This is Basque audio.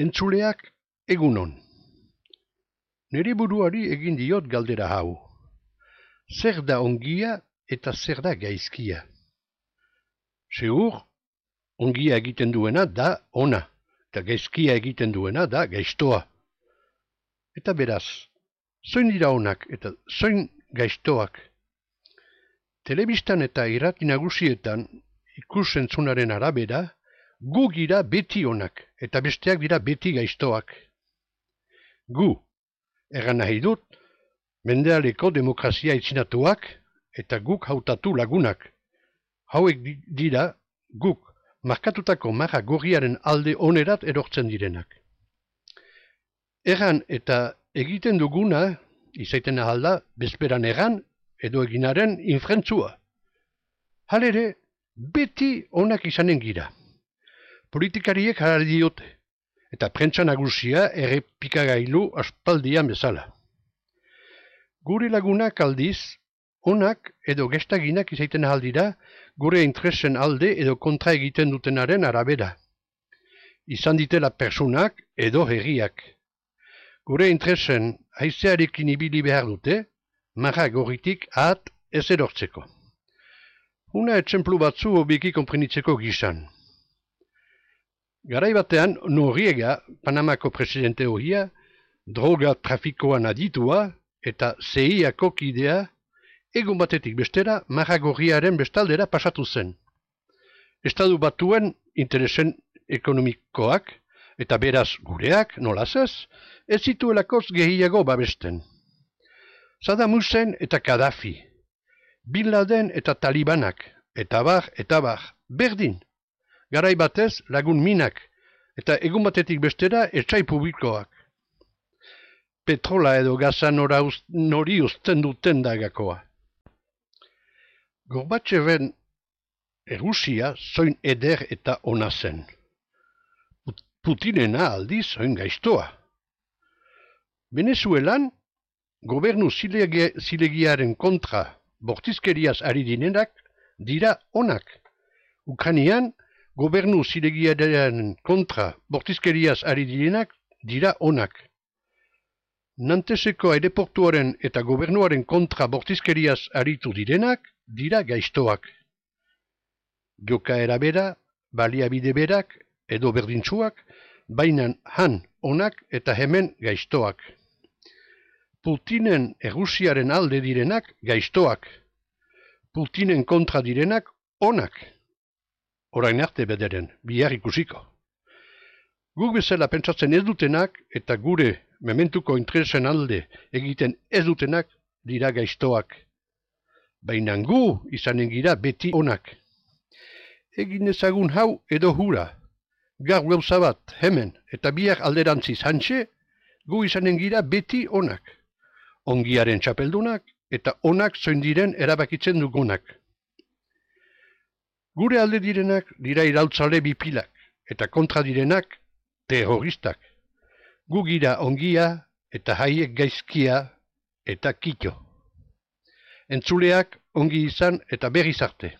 Entzuleak egunon. Nire buruari egin diot galdera hau. Zer da ongia eta zer da gaizkia? Segur, ongia egiten duena da ona, eta gaizkia egiten duena da gaiztoa. Eta beraz, zoin dira onak eta zoin gaiztoak? Telebistan eta irrati nagusietan ikus-entzunaren arabera, gu gira beti onak, eta besteak dira beti gaiztoak. Gu, egan nahi dut, mendealeko demokrazia itzinatuak, eta guk hautatu lagunak. Hauek dira guk markatutako marra gorriaren alde onerat erortzen direnak. Egan eta egiten duguna, izaiten ahalda, bezperan egan edo eginaren infrentzua. Halere, beti onak izanen gira. Politikariek harari diote, eta prentsa nagusia errepikagailu aspaldian bezala. Gure lagunak aldiz, onak edo gestaginak izaiten ahaldira gure interesen alde edo kontra egiten dutenaren arabera. Izan ditela personak edo herriak. Gure interesen haizearekin ibili behar dute, marra gorritik ahat ez erortzeko. Una etxemplu batzu hobiki konprenitzeko gisan. Garai batean, Noriega, Panamako presidente horia, droga trafikoan aditua eta CIA-ko kidea, egun batetik bestera marra gorriaren bestaldera pasatu zen. Estatu batuen interesen ekonomikoak, eta beraz gureak, nolaz ez zituelakoz gehiago babesten. Saddam Hussein eta Gaddafi, Bin Laden eta Talibanak, eta bar, berdin. Garai batez lagun minak, eta egun batetik bestera etxai publikoak. Petrola edo gaza nori uzten duten dagakoa. Gorbatxeven Errusia zoin eder eta ona zen. Putinena aldiz zoin gaiztoa. Venezuelan, gobernu zilegiaren kontra bortizkeriaz ari direnak dira onak. Ukrainian, gobernu zilegiaren kontra bortizkeriaz ari direnak dira onak. Nanteseko aireportuaren eta gobernuaren kontra bortizkeriaz aritu direnak dira gaiztoak. Jokaera bera, baliabide berak edo berdintsuak, bainan han onak eta hemen gaiztoak. Putinen Errusiaren alde direnak gaiztoak. Putinen kontra direnak onak. Orain arte bederen, bihar ikusiko. Guk bezala pentsatzen ez dutenak eta gure mementuko interesen alde egiten ez dutenak dira gaiztoak. Baina gu izanen gira beti onak. Egin ezagun hau edo hura. Gaur gauza bat hemen eta bihar alderantziz hantxe, gu izanen gira beti onak. Ongiaren txapeldunak eta onak zoin diren erabakitzen dugunak. Gure alde direnak dira iraultzale bipilak, eta kontra direnak terroristak. Gu gira ongia eta haiek gaizkia eta kito. Entzuleak ongi izan eta berriz arte.